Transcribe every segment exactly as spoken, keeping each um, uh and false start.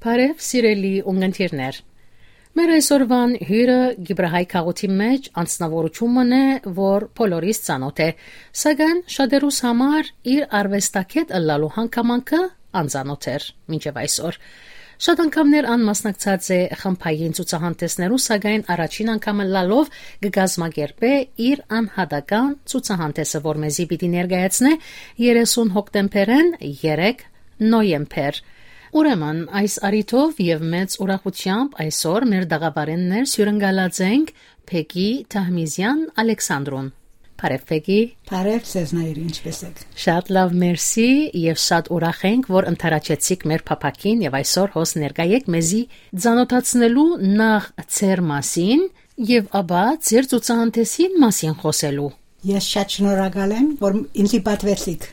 Բարև, սիրելի ունգընտիրներ։ Մեր այսօրվան հիւրը Կիպրահայ քաղաքին մէջ անձնաւորութիւն մըն է, որ բոլորիս ծանօթ է, սակայն շատերուս համար իր արուեստագէտ ըլլալու հանգամանքը անծանօթ էր մինչեւ այսօր։ Շատ անգամներ ան մասնակցած է խմբային ցուցահանդէսներու, սակայն առաջին անգամ ըլլալով կը կազմակերպէ իր անհատական ցուցահանդէսը, որ մեզի պիտի ներկայացնէ երեսուն հոկտեմբերէն երեք նոյեմբեր։ Ուրեմն, այս առիթով եւ մեծ ուրախութեամբ այսօր մեր տաղավարէն ներս հիւրընկալած ենք Բեկի Թահմիզեան Ալեքսանդրուն։ Բարև, Բեկի։ Բարև, ձեզնայր, ինչպե՞ս եք։ Շատ լաւ, մերսի, եւ շատ ուրախ ենք, որ ընդառաջեցիք մեր փափաքին եւ այսօր հոս ներկայ եք մեզի ծանօթացնելու նախ ձեր մասին եւ ապա ձեր ցուցահանդէսին մասին խօսելու։ Ես շատ շնորհակալ եմ, որ ինձի պատվեցիք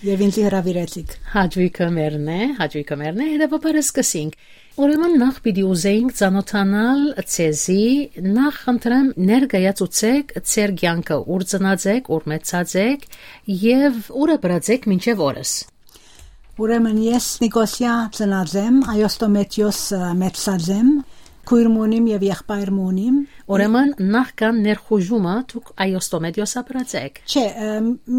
եւ ինձի հրավիրեցիք։ Հաճոյքը մերն է, հաճոյքը մերն է, հետեւաբար սկսենք։ Ուրեմն նախ պիտի ուզեինք ծանոթանալ ձեզի, նախ խնդրեմ ներկայացուցեք ձեր կյանքը, ուր ծնած եք, ուր մեծած եք եւ ուր ապրած եք մինչեւ օրս։ Ուրեմն ես Նիկոսիա ծնած եմ, Այոստոմետիոս, ը, մեծած եմ, քույր մունիմ եւ եղբայր մունիմ։ Ուրեմն նախքան ներխուժումը դուք Այոստոմետիոս ապրած եք։ Չէ, ը,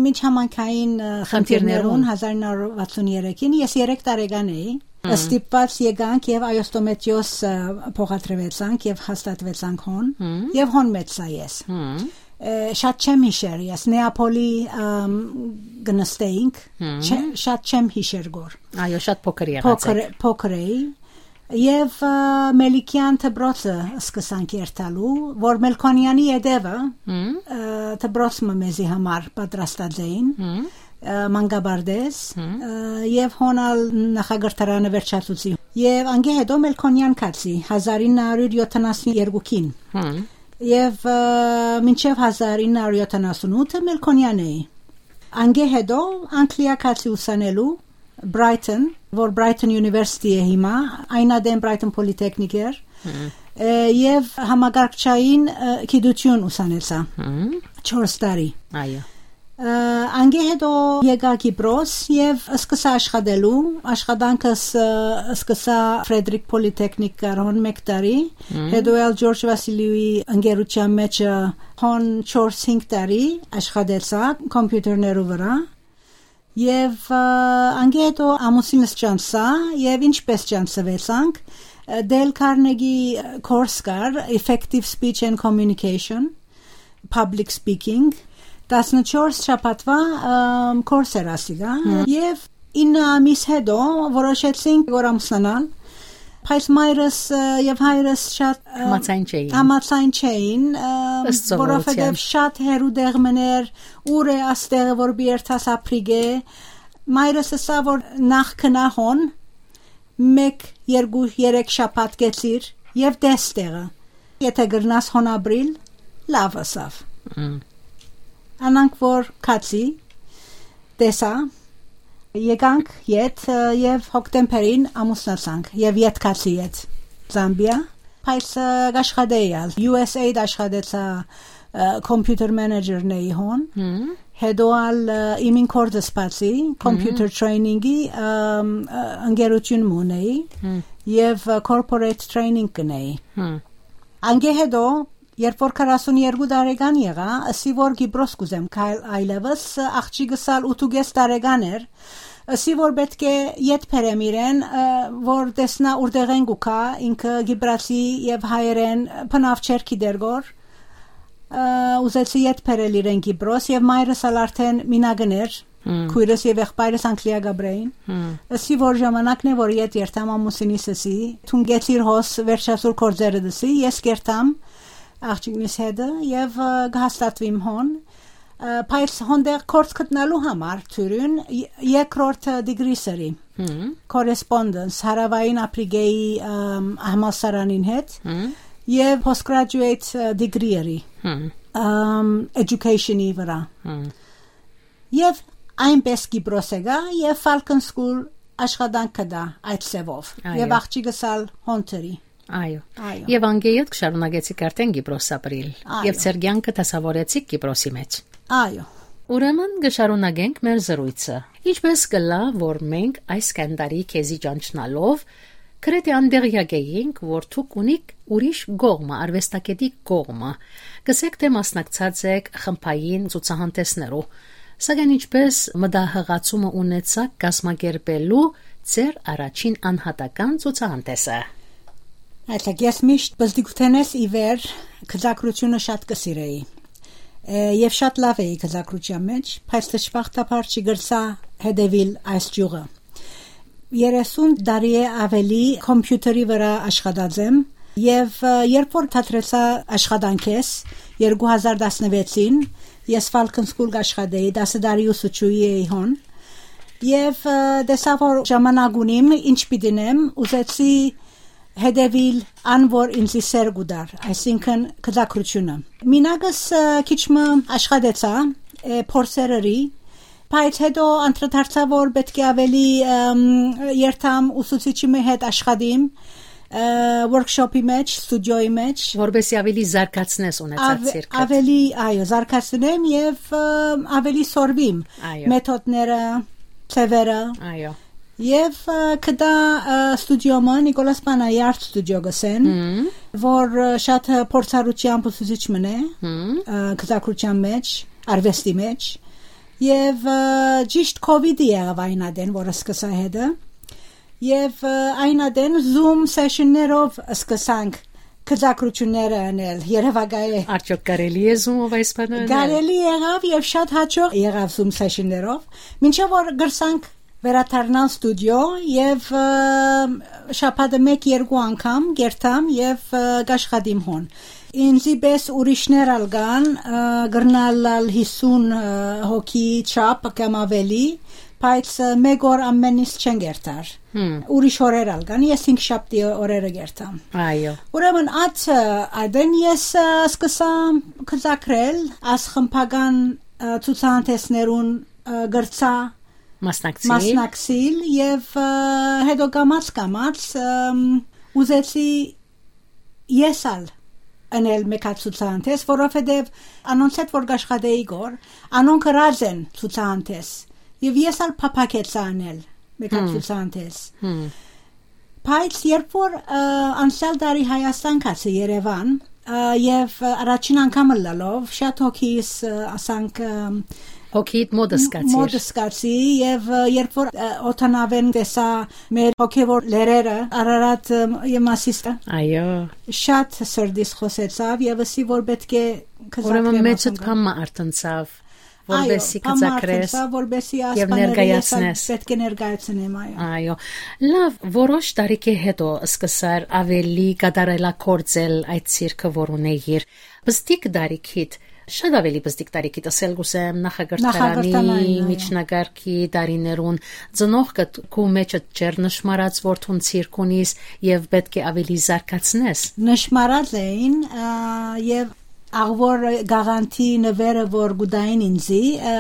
միջհամանքային, ը, խնդիրներուն։ Խնդիրներուն հազար ինը հարյուր վաթսուն երեքին ես երեք տարեկան էի։ Հմ։ Ստիպված եկանք եւ Այոստոմետիոս, ը, փոխադրվեցանք եւ հաստատվեցանք հոն, հմ, եւ հոն մեծա ես։ Հմ։ Ը, շատ չեմ յիշեր ես, Նեապոլի, ըմ, կնստեինք, հմ, չէ, շատ չեմ յիշեր գոր։ Այո, շատ փոքր եղած Փոքր, եք։ Փոքր էի։ Եւ, ը, Մելիքեան դպրոցը սկսանք երթալու, որ Մելքոնյանի ետևը, հմ, ը, դպրոց մը մեզի համար պատրաստած էին, հմ, ը, մանկապարտեզ, հմ, ը, եւ հոն ալ նախակրթարանը վերջացուցի։ Եւ անկէ հետո Մելքոնյան գացի, հազար ինը հարիւր յոթանասուն երկուքին։ Հմ։ Եւ, ը, մինչեւ հազար ինը հարիւր յոթանասուն ութը Մելքոնյան էի։ Անկէ հետո Անգլիա գացի ուսանելու Brighton, որ Brighton University է հիմա, այն ատեն Brighton Polytechnic էր, հմ, ը, եւ համակարգչային, ը, գիտություն ուսանեցայ, հմ, չորս տարի։ Այո։ Ը, անկէ հետո եկայ Կիպրոս եւ սկսա աշխատելու, աշխատանքս, ը, սկսա Frederick Polytechnic կարհոն մեկ տարի, հմ, հետո ալ Ջորջ Վասիլիուի ընկերության մեջ, ը, հոն չորս հինգ տարի աշխատեցայ կոմպիութերներու վրա։ Եւ, ը, անկէ հետո ամուսինս ճանչցայ, եւ ինչպես ճանչցուեցանք, ը, Dale Carnegie course կար, Effective Speech and Communication, Public Speaking, տասնչորս շաբաթուայ, ը, course էր ասիկա, հմ, եւ ինը ամիս հետո որոշեցինք, որ ամուսնանալ, բայց մայրս, ը, եւ հայրս շատ, ը, Համաձայն չէին։ Համաձայն չէին, ը, Ըստ սովորության։ Որովհետեւ շատ հեռու տեղ մներ, ուր է աստեղը, որ պիտի երթաս ապրիգ է։ Մայրս ըսա, որ նախ քնա հոն, մեկ, երկու, երեք շաբաթ կեցիր եւ տես տեղը։ Եթե կրնաս հոն ապրիլ, լաւ ըսաւ։ Մմ։ Անանք որ քացի, տեսա, եկանք ետ, ը, եւ հոկտեմբերին ամուսնացանք, եւ ետ քացի ետ, Զամբիա, բայց, ը, կաշխատեի ալ, U S A-դ աշխատեցա, ը, computer manager-ն էի հոն, Մմ։ Հետո ալ, ը, իմին կորձ սպացի, computer Մմ։ Training-ի, ըմ, ը, ընկերություն մունեի, Մմ։ Եւ, ը, corporate training կնեի։ Մմ։ Անկէ հետո, երբ որ քառասուն երկու տարեկան եղայ, ըսի որ Կիպրոս կուզեմ քայլ այլևս, ը, աղջիկս ալ ութ ու կես տարեկան էր, ըսի որ պէտք է ետ բերեմ իրեն, ը, որ տեսնայ ուրտեղէն կու գայ, ինքը Կիպրացի եւ հայերէն բնաւ չէր գիտեր գոր, ը, ուզեցի ետ բերել իրեն Կիպրոս եւ մայրս ալ արդեն մինակ էր, Մմ։ Քույրս եւ եղբայրս Անգլիա կապրեին։ Մմ։ Ըսի որ ժամանակն է որ ետ երթամ, ամուսինիս ըսի, դուն կեցիր հոս վերջասուր կորձերը դսի, ես կերթամ աղջիկնիս հետը եւ, ը, կհաստատվիմ հոն, ը, բայց հոնդեղ կորձ գտնալու համար թուրին ե-, երկրորդ, ը, degree սրի, Մմ։ Correspondence, Հարավային Ափրիկայի, ըմ, համալսարանին հետ Մմ։ Եւ postgraduate, ը, degree ըրի, Մմ։ Ըմ, education-ի վրա։ Մմ։ Եւ այնպես Կիպրոս եկայ եւ Falcon School աշխատանք կտայ այդ ձևով։ Այո։ Եւ աղջիկս ալ հոն դրի։ Այո։ Այո։ Եւ անկէ ետ կշարունակեցիք արդեն Կիպրոս ապրիլ։ Այո։ Եւ ձեր կյանքը դասավորեցիք Կիպրոսի մեջ։ Այո։ Ուրեմն կշարունակենք մեր զրույցը։ Ինչպես կլա, որ մենք այս կանդարի քեզի ճանչնալով Գրեթէ անտեղեակ էինք, որ դուք ունիք ուրիշ կողմը, արուեստագետի կողմը։ Կ'ըսէք, թէ մասնակցած էք խմբային ցուցահանդէսներու, սակայն ինչպէս մտահղացումը ունեցաք կազմակերպելու ձեր առաջին անհատական ցուցահանդէսը։ Այսինքն, ես միշտ պզտիկութենէս ի վեր գծագրությունը շատ կը սիրէի։ Է, եւ շատ լաւ էի գծագրության մեջ, բայց դժբախտաբար չի կրցայ հետեւել այս ճիւղը։ Երեսուն տարի է աւելի կոմպիութերի վրայ աշխատած եմ, եւ, ը, երբ որ դադրեցայ աշխատանքէս երկու հազար տասնվեցին, ես Falcon School կ'աշխատէի, տասը տարի ուսուցչուհի էի հոն, եւ, ը, տեսայ որ ժամանակ ունիմ, ինչ պիտի ընեմ, ուզեցի հետեւել ան, որ ինձի սեր կու տար, այսինքն գծագրությունը։ Մինագս, ը, քիչ մը աշխատեցայ, ը, փորձեր ըրի, բայց հետո անդրադարձայ, որ պէտք է աւելի, ըմ, երթամ ուսուցիչի մը հետ աշխատիմ, ը, workshop-ի մեջ, ստուդիոյի մեջ։ Որպեսզի աւելի զարգացնես ունեցած Ավ-, ցիրկդ։ Աւելի, այո, զարգացնեմ եւ, ը, աւելի սորվիմ Այո։ մեթոդները, ձեւերը։ Այո։ Եւ, ը, կտա, ը, ստուդիոմը, Նիկոլաս Պանայարտ ստուդիո կ'ըսեն, Հմ։ որ, ը, շատ, ը, փորձառությամբ ուսուցիչ մըն է, Հմ։ ը, գծագրության մեջ, արուեստի մեջ, եւ, ը, ճիշտ COVID-ը եղաւ այն ատեն, որ սկսայ հետը, եւ, ը, այն ատեն Zoom session-ներով սկսանք գծագրությունները ընել, երեւակայ է։ Արդյոք կարելի է Zoom-ով այս բանը ընել։ Կարելի եղաւ եւ շատ հաճախ եղաւ Zoom session-ներով, մինչեւ որ կրցանք վերադառնալ ստուդիո եւ, ը, շաբաթը մեկ-երկու անգամ կերթամ եւ, ը, կ'աշխատիմ հոն։ Ինձի պես ուրիշներ ալ կան, ը, կրնալ ալ հիսուն, ը, հոգի չափ կամ աւելի, բայց, ը, մեկ օր ամեն ինչ չեն կերթար։ Հմ։ Ուրիշ օրեր ալ կան, ես հինգշաբթի օրերը կերթամ։ Այո։ Ուրեմն, այդ, ը, այդեն ես, ը, սկսա գծագրել, աս խմբական, ը, ցուցահանդէսներուն, ը, կրցայ Մասնակցիլ։ Մասնակցիլ եւ, ը, հետո կամաց-կամաց, ըմ, ուզեցի ես ալ ընել մեկ հատ ցուցահանդէս, որովհետեւ անոնց հետ որ կ'աշխատէի գոր, անոնք ըրած են ցուցահանդէս, եւ ես ալ փափաքեցայ ընել մեկ հատ Հմ։ ցուցահանդէս։ Հմ։ Բայց երբ որ, ը, անցյալ տարի Հայաստան գացի Երևան, ը, եւ, ը, առաջին անգամ ըլլալով, շատ հոգիս, ը, ասանք, ը, Հոգիդ մոտ սկացիր։ Մոտ սկացի, եւ, ը, երբ որ, ը, օդանավեն տեսա մեր հոգեվոր լերերը, Արարատ, ը, եւ Մասիստը, Այո։ շատ սրտիս խոսեցավ եւ ըսի, որ պէտք է Ուրեմն գծագրեմ մեջդ ասոնք։ բան մը արթնցավ, Այո, որպեսզի բան մը գծագրես արթնցա, որպեսզի այս եւ բաները ես ներկայացնես։ Ալ պէտք է ներկայացնեմ, այո։ Այո։ Լավ, որոշ տարիքի հետո սկսար աւելի կատարելագործել այդ ցիրկը, որ ունեիր։ Պզտիկ տարիքիդ, շատ աւելի պզտիկ տարիքիդ, ըսել կ'ուզեմ, նախակրթարանի, Նախակրթանային, այո։ միջնակարգի տարիներուն, ծնողքդ քու մեջդ չէր նշմարած, որ դուն ցիրկ ունիս եւ պէտք է աւելի զարգացնես։ Նշմարած էին, ա, եւ աղվոր գաղանթի նվերը, որ գուտային ինձի, ը,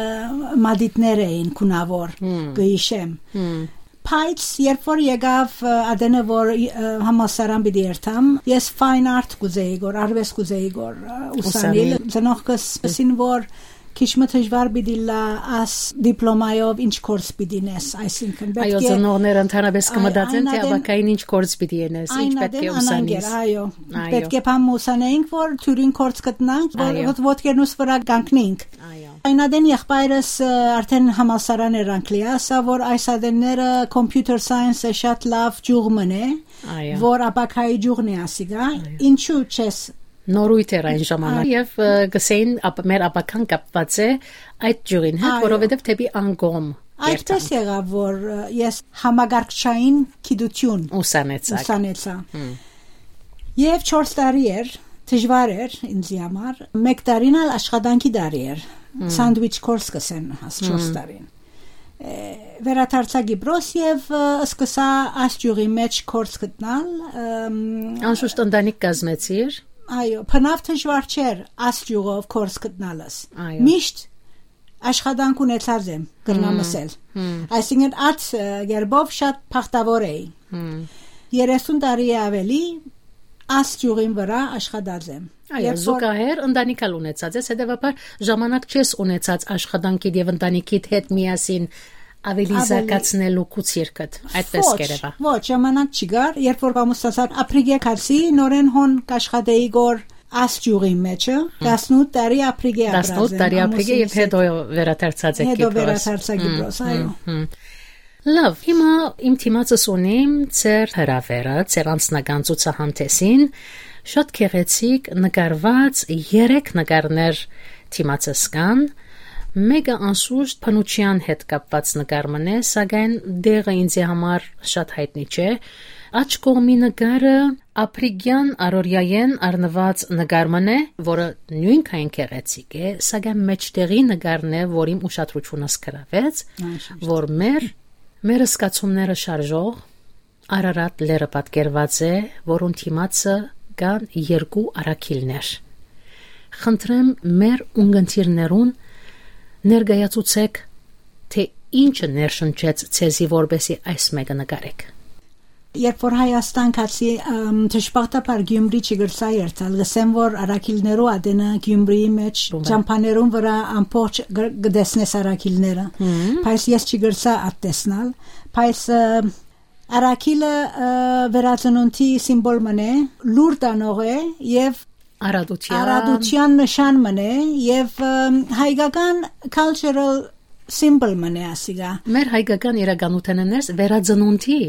մատիտներ էին քունաւոր, Հմ։ կ'հիշեմ։ Հմ։ Բայց երբ որ եկաւ, ը, ատենը, որ, ը, համալսարան պիտի երթամ, ես fine art կ'ուզեի գոր, արուեստ կ'ուզեի գոր, ը, ուսանիլ, Ուսանիլ։ Ծնողքս ըսին, որ քիչ մը դժվար պիտի լա աս դիպլոմայով ինչ գործ պիտի նես, այսինքն պէտք Այո, է ծնողները ընդհանրապես Այ, կմտածեն, այն թե ատեն ապագային ինչ գործ պիտի ենես, ինչ Այն պէտք է ատեն անանկ էր, ուսանես։ Այո։ Այո։ Պէտք է բան մը ուսանեինք, որ դուրին գործ գտնանք, որ Այո։ ոդ-, ոտքերնուս վրա կանգնենք։ Այո։ Այն ատեն եղբայրս, ը, արդեն համալսարան էր Անգլիա, ասա, որ այս ատենները computer science-ը շատ լավ ճյուղ մն է, Այո։ որ ապագայի ճյուղն է ասիկա, Այո։ ինչու չես Նորույթ էր այն ժամանակ։ Այո։ Եվ, ը, գսեին, ապ-, մեր ապագան կապված է այդ ճյուղին հետ, Այո։ որովհետև դեպի անկողմ Այդպես երթանք։ եղավ, որ, ը, ես համագարկչային գիտություն Ուսանեցաք։ ուսանեցա։ Հմ։ Եվ չորս տարի էր, դժվար էր ինձի համար, մեկ տարին ալ աշխատանքի տարի էր, Հմ։ Sandwich course կսեն, աս չորս Հմ։ տարին։ Ը, վերադարձա Կիպրոս և, ը, սկսա այս ճյուղի մեջ կորս գտնալ, ըմ, Անշուշտ ընտանիք կազմեցիր։ Այո, բնավ դժվար չէր այս ճյուղով կորս գտնալս։ Այո։ Միշտ աշխատանք ունեցած եմ, կրնամ Հմ, ասել։ հմ։ Այսինքն, այդ, ը, կերպով շատ բախտավոր էի։ Հմ։ երեսուն տարի է ավելի այս ճյուղին վրա աշխատած եմ։ Այո, Երբ որ զուգահեռ ընտանիք ալ ունեցած ես, հետևաբար ժամանակ չես ունեցած աշխատանքիդ և ընտանիքիդ հետ միասին Ավելի Ավելի զարգացնելու կու ցիրկդ, այդպես Ոչ, կերևա։ Ոչ, ժամանակ չի գար, երբ որ Պամուսասակ Ափրիկե գացի, նորեն հոն կաշխատեի գոր աս ճյուղի մեջը, տասնութ տարի Ափրիկե ապրած Տասնութ եմ, տարի Ափրիկե ամուսինս եւ հետ։ Հետո վերադարձած եք Հետո Կիպրոս։ Վերադարձա Կիպրոս, այո։ Մհմ։ Լավ, հիմա իմ դիմացս ունիմ ձեր հրավերը, ձեր անձնական ցուցահանդեսին, շատ գեղեցիկ նկարված երեք նկարներ դիմացս կան, մեկը անշուշտ բնության հետ կապված նկար մըն է, սակայն դեղը ինձի համար շատ հայտնի չէ։ Աջ կողմի նկարը ափրիկեան առօրեայէն առնուած նկար մըն է, որը նոյնքային գեղեցիկ է, սակայն մէջտեղի նկարն է, որ իմ ուշադրութիւնս գրաւեց, Անշուշտ։ որ մեր, մեր զգացումները շարժող Արարատ լեռը պատկերված է, որուն դիմացը կան երկու առաքիլներ։ Խնդրեմ մեր ունգընտիրներուն ներկայացուցեք, թե ինչը ներշնչեց ձեզի, որպեսզի այս մեկը նկարեք։ Երբ որ Հայաստան գացի, ըմ, դժբախտաբար Գյումրի չգրսա երթալ, գսեմ որ առաքիլներու ատենը Գյումրիի մեջ Բումա։ ճամփաներուն վրա ամբողջ գ-, գտեսնես առաքիլները, Հմ։ բայց ես չգրսա ատ տեսնալ, բայց, ը, առաքիլը, ը, վերածնունդի սիմվոլ մն է, լուր տանող է եւ Արադության։ արադության նշան մն է եւ, ըմ, հայկական cultural symbol մն է ասիկա։ Մեր հայկական իրականութենը ներս վերածնունդի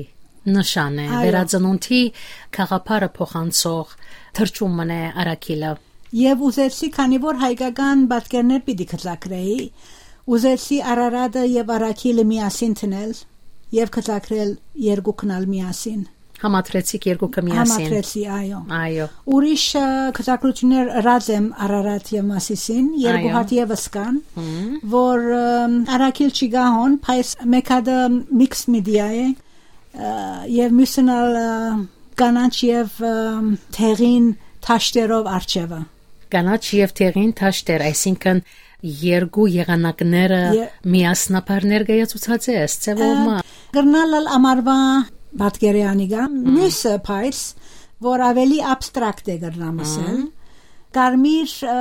նշան է, Այո։ վերածնունդի գաղափարը փոխանցող թռչուն մն է առաքիլը։ Եվ ուզեցի, քանի որ հայկական պատկերներ պիտի գծագրեի, ուզեցի Արարատը եւ առաքիլը միասին դնել եւ գծագրել երկուքն ալ միասին։ Համադրեցիք երկուքը միասին։ Համադրեցի, այո։ Այո։ Ուրիշ, ը, գծագրություններ ըրած եմ Արարատ եւ Մասիսին, երկու Այո։ հատ եւս կան, Հմ։ որ, ըմ, առաքիլ չի գա հոն, բայց մեկ հատը mixed media է, ը, եւ մյուսն ալ, ը, կանաչ եւ, ը, դեղին թաշտերով արջեւը։ Կանաչ եւ դեղին թաշտեր, այսինքն երկու եղանակները Ե- միասնաբար ներկայացուցած ես, ձևով Ը, մը։ կրնալ ալ ամառվա պատկերի անիկա, Հմ։ մյուսը, բայց, որ ավելի abstract է կրնամ ասել, Հմ։ կարմիր, ը,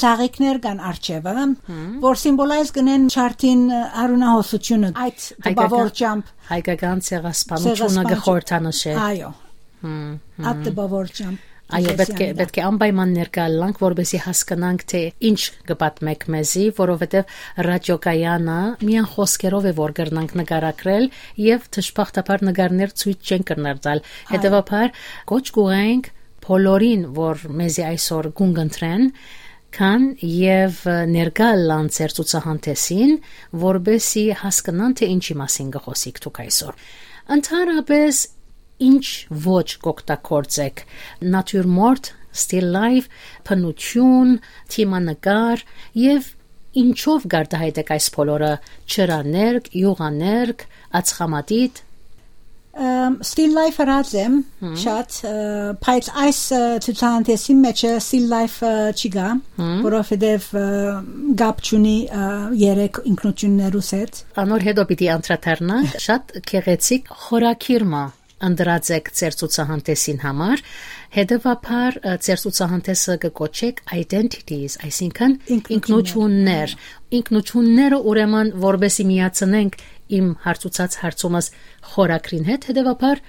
զաղիկներ կան արջևը, Հմ։ որ symbolize կնեն չարդին, ը, արունահոսությունը, այդ Հայկական տպավորությամբ։ հայկական ցեղասպանությունը Ցեղասպանություն։ կխորհրդանշե։ Այո, Հմ, հմ։ այդ տպավորությամբ Այո, պետք է, Քրիստիանիդա։ պետք է անպայման ներկայ ըլլանք, որպեսզի հասկնանք, թե ինչ կը պատմեք մեզի, որովհետև ռադիոկայանը միայն խոսքերով է, որ կրնանք նկարագրել, եւ դժբախտաբար նկարներ ցոյց չեն կրնար տալ։ Այո։ Հետեւաբար, կոչ կուղենք բոլորին, որ մեզի այսօր կունկընտրեն, կան եւ ներկայ ըլլան ձեր ցուցահանդեսին, որպեսզի հասկնան, թե ինչի մասին կը խոսիք դուք այսօր։ Ընդհանրապես, ինչ ոչ կօգտագործեք, նատյուրմորտ, still life, բնություն, թիմանկար, եւ ինչով կարտահայտեք այս բոլորը, ջրաներկ, յուղաներկ, ածխամատիտ։ Ըմ, still life ըրած եմ Հմ։ շատ, ը, բայց այս, ը, ցուցահանդեսի մեջ ը still life, ը, չի գա, Հմ։ որովհետև, ը, կապ չունի, ը, երեք ինքնություններուս հետ։ Անոր հետո պիտի անդրադառնանք շատ գեղեցիկ խորագիր մը ընտրած եք ձեր ցուցահանդեսին համար, հետևաբար, ը, ձեր ցուցահանդեսը կը կոչեք Identities, այսինքն Ինքնություններ։ ինքնություններ։ Ինքնությունները, ուրեմն, որպեսի միացնենք իմ հարցուցած հարցումս խորագրին հետ, հետևաբար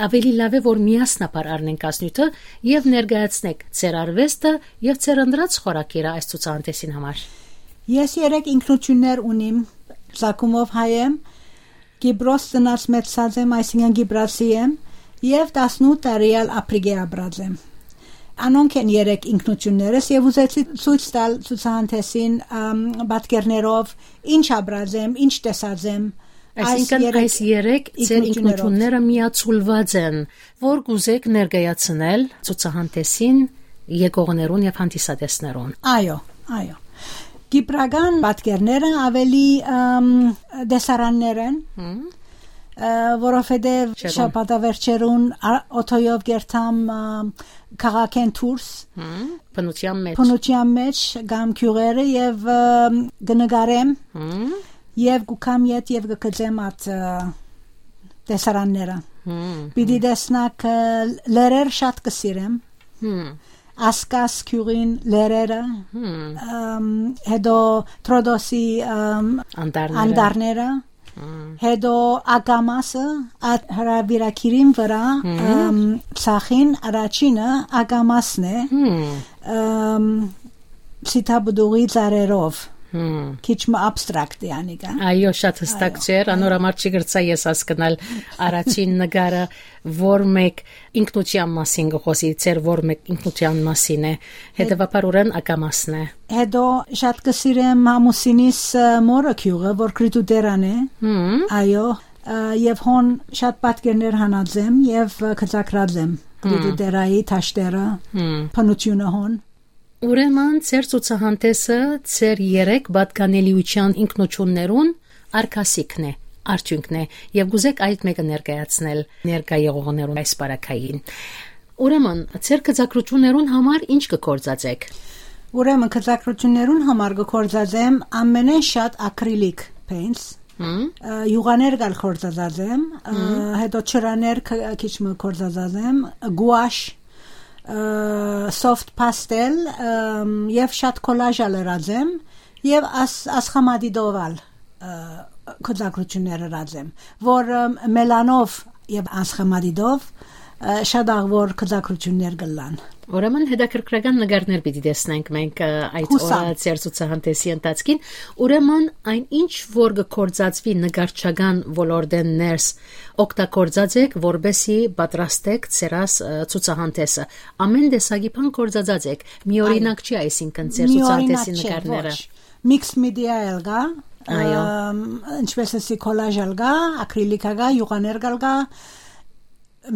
ավելի լավ է, որ միասնաբար առնենք այս նյութը եւ ներկայացնենք ձեր արվեստը եւ ձեր ընտրած խորագիրը այս ցուցահանդեսին համար։ Ես երեք ինքնություններ ունիմ, ծագումով հայ եմ, Կիպրոս ծնած մեծացած եմ, այսինքն կիպրացի եմ, եւ տասնութ տարի ալ Ափրիկե ապրած եմ։ Անոնք են երեք ինքնություններս, եւ ուզեցի ցոյց տալ ցուցահանդեսին, ըմ, պատկերներով, ինչ ապրած եմ, ինչ տեսած եմ, այս Այսինքն երեք այս երեք ձեր ինքնություններով։ ինքնությունները միացուլված են, որ կուզեք ներկայացնել ցուցահանդեսին եկողներուն եւ հանդիսատեսներուն։ Այո, այո։ Կիպրական պատկերները ավելի, ըմ, տեսարաններ են, Հմ, ը, որովհետև չերուն։ շաբաթավերջերուն ա-, օթոյով կերթամ, ը, քաղաքեն դուրս, Հմ, բնության մեջ։ բնության մեջ կամ գյուղերը եւ, ը, կնկարեմ Հմ, եւ կուքամ ետ եւ կգծեմ այդ, ը, տեսարանները։ հմ, Պիտի հմ, տեսնաք, ը, լերեր շատ կսիրեմ։ հմ, Ասկաս գյուղին լերերը, հմ, ըմ, հետո Տրոդոսի, ըմ, Անտառները։ անտառները, Հետո ակամասը, այդ հրավիրագիրին վրա, ըմ, ծախին առաջինը ակամասն է, ըմ, սիթապուտուղի ծառերով, քիչ մը abstract է անիկա։ Այո, շատ հստակ Այո, չէր, անոր այո։ համար չի գրծա ես հասկնալ առաջին նկարը, որ մեկ ինքնության մասին կը խօսի, ձեր որ մեկ ինքնության մասին է, հետեւաբար ուրեն ակամասն է։ Հետո շատ կը սիրեմ Համուսինիս, ը, մորը գիւղը, որ Կրիտուտերան է։ Հմ։ Այո, ը, եւ հոն շատ պատկերներ հանած եմ եւ, ը, գծագրած եմ Կրիտուտերայի դաշտերը, հմ, բնությունը հոն։ Ուրեմն, ձեր ցուցահանդէսը ձեր երեք պատկանելիության ինքնություններուն արգասիքն է, արդիւնքն է, եւ կուզեք այդ մէկը ներկայացնել ներկայ եղողներուն այս պարագային։ Ուրեմն, ձեր գծագրություններուն համար ի՞նչ կը գործածեք։ Ուրեմն, գծագրություններուն համար կը գործածեմ ամենէն շատ ակրիլիկ paints, հմ, ը, յուղաներ կալ գործածած եմ, ը, հմ, հետո ջրաներ ք-, քիչ մը գործածած եմ, գուաշ, ը, soft pastel, ըմ, եւ շատ collage ալ ըրած եմ, եւ աս-, ասխամադիտով ալ, ը, գծագրություններ ըրած եմ, որ, ըմ, մելանով եւ անսխամադիտով, ը, շատ աղ որ գծագրություններ կլան։ Ուրեմն հետաքրքրական նկարներ պիտի տեսնենք մենք, ը, այդ Հուսամ։ օրը ձեր ցուցահանդեսի ընթացքին։ Ուրեմն այն ինչ որ կը գործածվի նկարչական ոլորտէն ներս, օգտագործած եք, որպեսզի պատրաստեք ձեր աս, ը, ցուցահանդեսը։ Ամեն տեսակի բան գործածած եք։ Մի Այո։ օրինակ չի, այսինքն, ձեր Մի օրինակ ցուցահանդեսի չէ, նկարները։ Ոչ։ Mixed media ալ կա, Այո։ ըմ, ինչպես ասի, collage ալ կա, ակրիլիքա կա, յուղաներ կալ կա,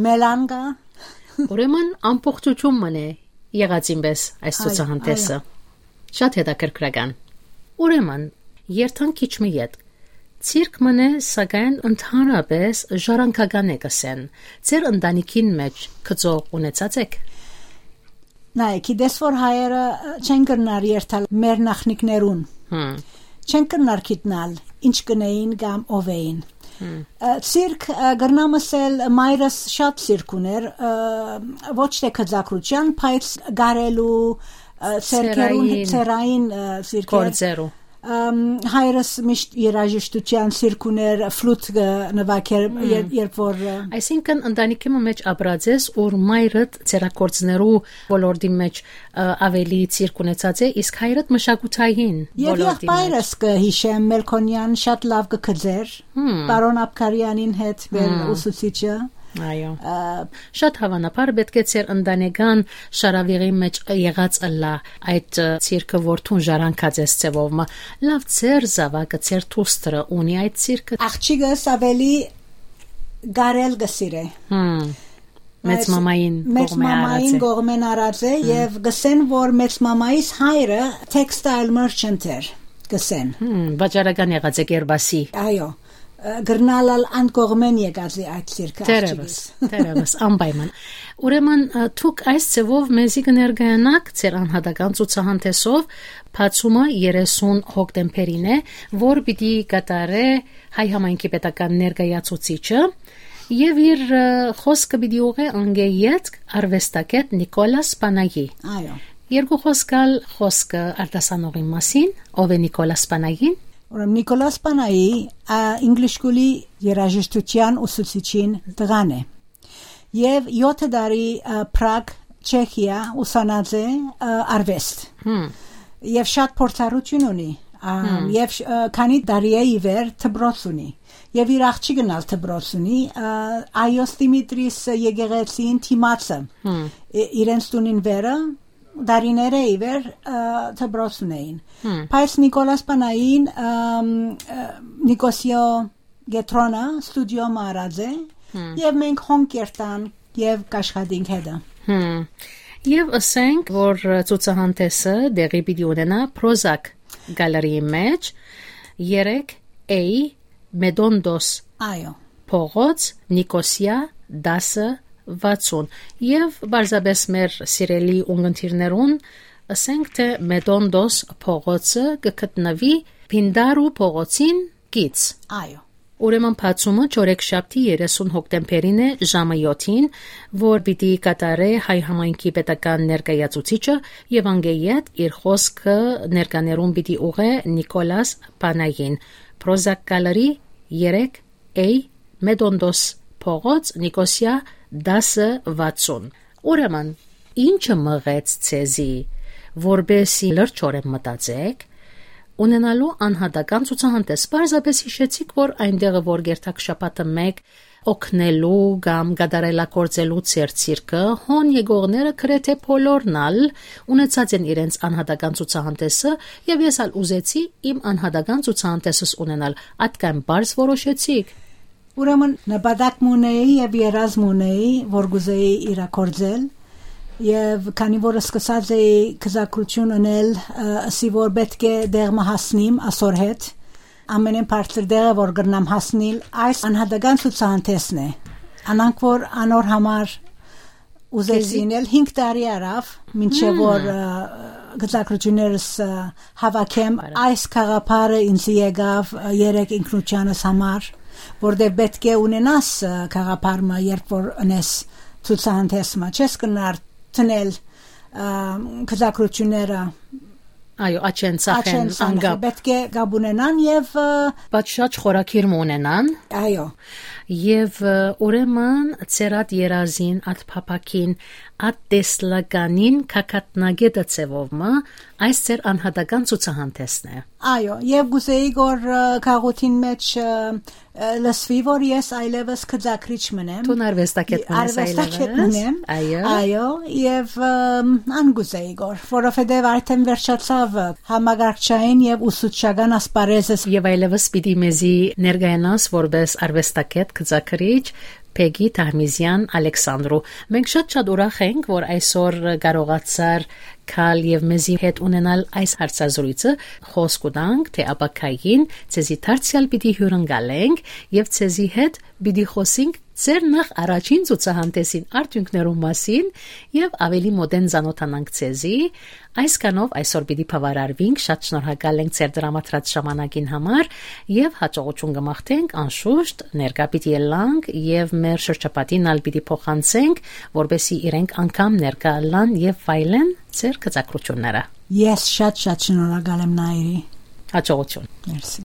մելան կա։ Ուրեմն ամբողջություն մնե եղած ինպես այս Այո, ցուցահանդեսը։ այո։ Շատ հետաքրքրական։ Ուրեմն, երթանք քիչ մը ետք։ Ցիրկ մնե, սակայն ընդհանրապես ժառանգական է կսեն։ Ձեր ընտանիքին մեջ գծող ունեցած եք։ Նայ, գիտես որ հայերը, ը, չեն կրնար երթալ մեր նախնիկներուն։ Հմ։ Չեն կրնար գիտնալ ինչ կնեին կամ ով էին։ Հմ։ Ը, ցիրկ, ը, կրնամ ասել, մայրս շատ ցիրկ ուներ, ը, ոչ թե գծագրության, բայց գարելու, ը, ցերկերուն, Ցերային։ Ցերային, ը, ցիրկեր։ Գործերու։ Ըմ, հայրս միշտ երաժշտության ցիրկ ուներ, ֆլուտ կը նվագեր, Մմ։ եր-, երբ որ, ը, Այսինքն, ընտանիքի մը մեջ ապրած ես, ուր մայրդ ցերակործներու ոլորտի մեջ, ը, ավելի ցիրկ ունեցած է, իսկ հայրդ մշակութային Եվ ոլորտի եղբայրս մեջ։ կը հիշեմ, Մելքոնյան շատ լավ կը գծեր, Մմ։ պարոն Աբգարյանին հետ մեր Մմ։ ուսուցիչը։ Այո։ Ը, Շատ հավանաբար պէտք է ձեր ընտանեկան շարավիղի մեջ եղած ըլլայ այդ, ը, ցիրկը, որ դուն ժառանգած ես ձևով մը։ Լավ, ձեր զաւակը, ձեր դուստրը ունի այդ ցիրկը։ Աղջիկս ավելի գարել կը սիրէ։ Հմ։ Մեծ Այս մամային մեծ կողմէ մամային արած է։ կողմէն արած է Հմ։ եւ կսեն, որ մեծ մամայիս հայրը textile merchant էր, կսեն։ Հմ, վաճառական եղած է Կերպասի։ Այո, ը, կրնալ ալ ան կողմէն եկած է այդ ցիրկը, Դերևս, աղջիկս։ դերևս, անպայման։ Ուրեմն, ը, դուք այս ձևով մեզի կներկայանաք ձեր անհատական ցուցահանդեսով, բացումը երեսուն հոկտեմբերին է, որ պիտի կատարէ հայ համայնքի պետական ներկայացուցիչը, եւ իր, ը, խոսքը պիտի ուղղէ անկէ ետք արվեստագետ Նիկոլաս Պանայի։ Այո։ Երկու խոսք ալ խոսքը արտասանողին մասին, ով է Նիկոլաս Պանային։ Ուրեմն Նիկոլաս Պանայի, ա, English School-ի երաժշտության ուսուցիչին տղան է։ Եվ յոթ տարի, ը, Պրագ, Չեխիա ուսանած է, ը, արվեստ։ Հմ։ Եվ շատ փորձառություն ունի, ա, Հմ։ եւ շ-, ը, քանի տարի է ի վեր դպրոց ունի։ Եվ իր աղջիկն ալ դպրոց ունի, ը, Այոս Դիմիտրիս եկեղեցին դիմացը։ Հմ։ Ի-, իրենց տունին վերը, դարիներ է ի վեր, ը, դպրոց ունեին։ Հմ։ Բայց Նիկոլաս Պանային, ըմ, ը, Նիկոսիո Գետրոնը ստուդիո մը առած է, Հմ։ եւ մենք հոն կերտանք եւ կաշխատենք հետը։ Հմ։ Եվ ըսենք, որ ցուցահանդեսը տեղի պիտի ունենա Prozac Gallery-ի մեջ երեք A Մեդոնտոս Այո։ փողոց, Նիկոսիա, տասը վաթսուն։ Եվ պարզապես մեր սիրելի ունգընտիրներուն ըսենք, թե Մեդոնտոս փողոցը կը գտնուի Պինդարու փողոցին կից։ Այո։ Ուրեմն բացումը չորեքշաբթի երեսուն հոկտեմբերին է ժամը յոթին, որ պիտի կատարէ հայ համայնքի պետական ներկայացուցիչը եւ անկէ յետ իր խոսքը ներկաներուն պիտի ուղղէ Նիկոլաս Պանային, Prozac Gallery երեք A, Մետոնտոս փողոց, Նիկոսիա, տասը վաթսուն։ Ուրեմն, ի՞նչը մղեց ձեզի, որպեսզի լրջորեն մտածեք, ունենալու անհատական ցուցահանդէս։ Պարզապէս յիշեցիք, որ այն տեղը, որ կերթաք շաբաթը մէկ օգնելու կամ կատարելագործելու ձեր ցիրկը, հոն եկողները գրեթէ բոլորն ալ ունեցած են իրենց անհատական ցուցահանդէսը, եւ ես ալ ուզեցի իմ անհատական ցուցահանդէսս ունենալ։ Ատկայն պարզ որոշեցիք։ Ուրեմն նպատակ մը ունեի եւ երազ մը ունեի, որ կուզեի իրագործել, եւ քանի որ սկսած էի գծագրություն ընել, ը, ըսի որ պէտք է տեղ մը հասնիմ ասոր հետ, ամենէն բարձր տեղը որ կրնամ հասնիլ, այս անհատական ցուցահանդէսն է։ Անանք որ անոր համար ուզեցի Քեզի- ինել հինգ տարի արաւ, մինչեւ Հմ։ որ, ը, գծագրություններս, ը, հավաքեմ, Արա։ այս գաղափարը ինձ եկաւ, ը, երեք ինքնությանս համար, որտեղ պէտք է ունենաս, ը, գաղափար մը, երբ որ ունես ցուցահանդէս մը, չես կնար տնել, ը, գծագրությունները Այո, աչեն, ծախեն, աչեն, ծախեն, անգապ։ Պէտք է կապ ունենան եւ, ը, Պատշաճ խորագիր մը ունենան։ Այո։ Եւ, ը, ուրեմն, ձեր ատ երազին, ատ փափաքին, ատ տեսլականին կակատնագետը ձևով մը, այս ձեր անհատական ցուցահանդէսն է։ Այո, եւ գուզեի որ, ը, քաղաքին մեջ, ը, ը, լսվի որ ես այլեւս գծագրիչ մնեմ։ Դուն արվեստագետ մնես Արվեստագետ այլևս։ մնեմ։ Այո։ Այո, եւ, ըմ, ան գուզեի որ, որովհետեւ արդեն վերջացաւ, ը, համագարկչային եւ ուսուցչական ասպարեզս։ Եւ այլևս պիտի մեզի ներկայանաս որպես արվեստագետ, գծագրիչ Բեգի Թահմիզեան Ալեքսանդրու։ Մենք շատ-շատ ուրախ ենք, որ այսօր կարողացար գալ եւ մեզի հետ ունենալ այս հարցազրույցը, խոսք կու տանք, թէ ապագային ձեզի դարձեալ պիտի հիւրընկալենք եւ ձեզի հետ պիտի խոսենք ձեր նախ առաջին ցուցահանդէսին արդիւնքներու մասին եւ ավելի մօտէն ծանօթանանք ձեզի։ Այսքանով այսօր պիտի բաւարարվենք, շատ շնորհակալ ենք ձեր տրամադրած ժամանակին համար եւ յաջողութիւն կը մաղթենք անշուշտ, ներկայ պիտի ելանք եւ մեր շրջապատին ալ պիտի փոխանցենք, որպեսզի իրենք անգամ ներկայ ըլլան եւ վայելեն ձեր գծագրությունները։ Ես շատ-շատ շնորհակալ եմ, Նայիրի։ Յաջողութիւն։ Մերսի։